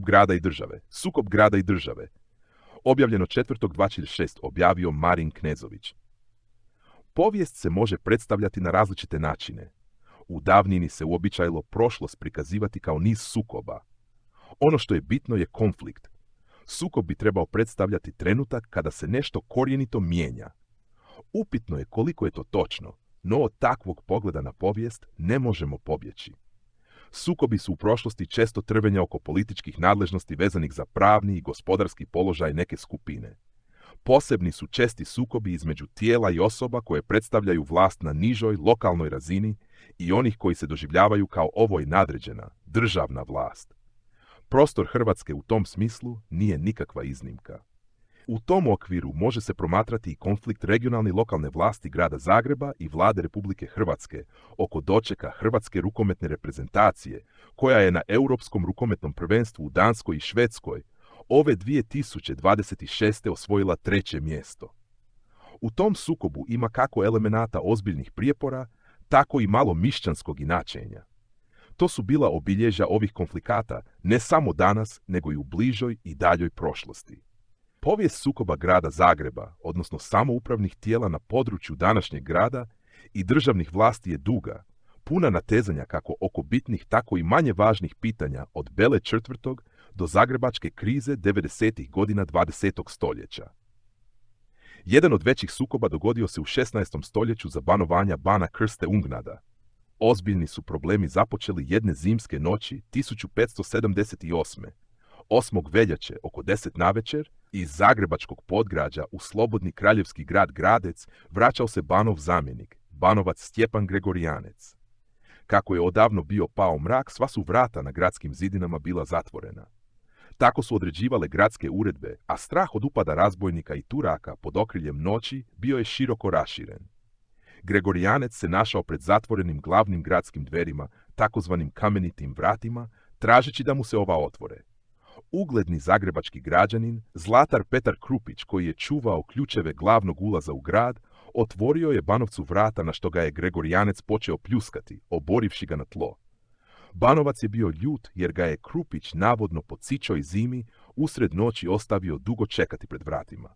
grada i države. Sukob grada i države. Objavljeno 4.2.6 objavio Marin Knezović. Povijest se može predstavljati na različite načine. U davnini se uobičajilo prošlost prikazivati kao niz sukoba. Ono što je bitno je konflikt. Sukob bi trebao predstavljati trenutak kada se nešto korijenito mijenja. Upitno je koliko je to točno, no od takvog pogleda na povijest ne možemo pobjeći. Sukobi su u prošlosti često trvenja oko političkih nadležnosti vezanih za pravni i gospodarski položaj neke skupine. Posebni su česti sukobi između tijela i osoba koje predstavljaju vlast na nižoj, lokalnoj razini i onih koji se doživljavaju kao ovoj nadređena, državna vlast. Prostor Hrvatske u tom smislu nije nikakva iznimka. U tom okviru može se promatrati i konflikt regionalne i lokalne vlasti grada Zagreba i vlade Republike Hrvatske oko dočeka hrvatske rukometne reprezentacije, koja je na Europskom rukometnom prvenstvu u Danskoj i Švedskoj ove 2026. osvojila 3. mjesto. U tom sukobu ima kako elemenata ozbiljnih prijepora, tako i malo mišćanskog inačenja. To su bila obilježja ovih konflikata ne samo danas, nego i u bližoj i daljoj prošlosti. Povijest sukoba grada Zagreba, odnosno samoupravnih tijela na području današnjeg grada i državnih vlasti je duga, puna natezanja kako oko bitnih, tako i manje važnih pitanja od Bele četvrtog do zagrebačke krize 90. godina 20. stoljeća. Jedan od većih sukoba dogodio se u 16. stoljeću za banovanja bana Krste Ungnada. Ozbiljni su problemi započeli jedne zimske noći 1578. 8. veljače oko 10 navečer iz zagrebačkog podgrađa u slobodni kraljevski grad Gradec vraćao se banov zamjenik, banovac Stjepan Gregorijanec. Kako je odavno bio pao mrak, sva su vrata na gradskim zidinama bila zatvorena. Tako su određivale gradske uredbe, a strah od upada razbojnika i Turaka pod okriljem noći bio je široko raširen. Gregorijanec se našao pred zatvorenim glavnim gradskim dverima, takozvanim kamenitim vratima, tražeći da mu se ova otvore. Ugledni zagrebački građanin, zlatar Petar Krupić, koji je čuvao ključeve glavnog ulaza u grad, otvorio je banovcu vrata, na što ga je Gregorijanec počeo pljuskati, oborivši ga na tlo. Banovac je bio ljut jer ga je Krupić navodno po cičoj zimi usred noći ostavio dugo čekati pred vratima.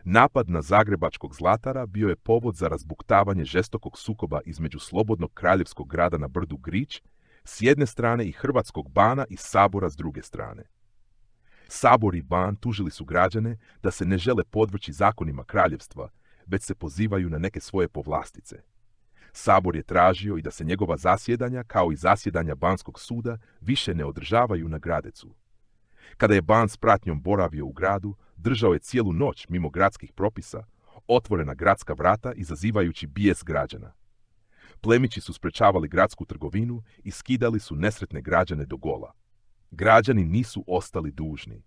Napad na zagrebačkog zlatara bio je povod za razbuktavanje žestokog sukoba između slobodnog kraljevskog grada na brdu Grič s jedne strane i hrvatskog bana i sabora s druge strane. Sabor i ban tužili su građane da se ne žele podvrći zakonima kraljevstva, već se pozivaju na neke svoje povlastice. Sabor je tražio i da se njegova zasjedanja, kao i zasjedanja banskog suda, više ne održavaju na Gradecu. Kada je ban s pratnjom boravio u gradu, držao je cijelu noć mimo gradskih propisa, otvorena gradska vrata izazivajući bijes građana. Plemići su sprečavali gradsku trgovinu i skidali su nesretne građane do gola. Građani nisu ostali dužni.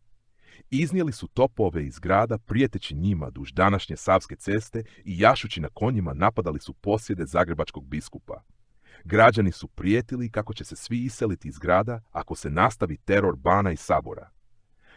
Iznijeli su topove iz grada prijeteći njima duž današnje Savske ceste i jašući na konjima napadali su posjede zagrebačkog biskupa. Građani su prijetili kako će se svi iseliti iz grada ako se nastavi teror bana i sabora.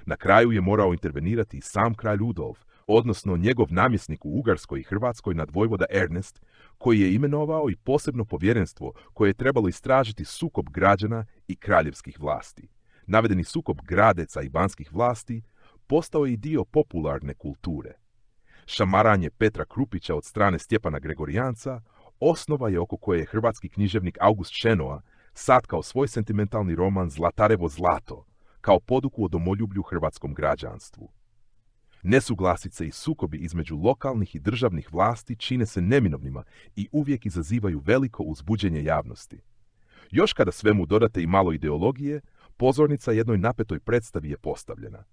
Na kraju je morao intervenirati i sam kralj Rudolf, odnosno njegov namjesnik u Ugarskoj i Hrvatskoj nadvojvoda Ernest, koji je imenovao i posebno povjerenstvo koje je trebalo istražiti sukob građana i kraljevskih vlasti. Navedeni sukob Gradeca i banskih vlasti postao je i dio popularne kulture. Šamaranje Petra Krupića od strane Stjepana Gregorijanca osnova je oko koje je hrvatski književnik August Šenoa satkao svoj sentimentalni roman Zlatarevo zlato, kao poduku o domoljublju hrvatskom građanstvu. Nesuglasice i sukobi između lokalnih i državnih vlasti čine se neminovnima i uvijek izazivaju veliko uzbuđenje javnosti. Još kada svemu dodate i malo ideologije, pozornica jednoj napetoj predstavi je postavljena.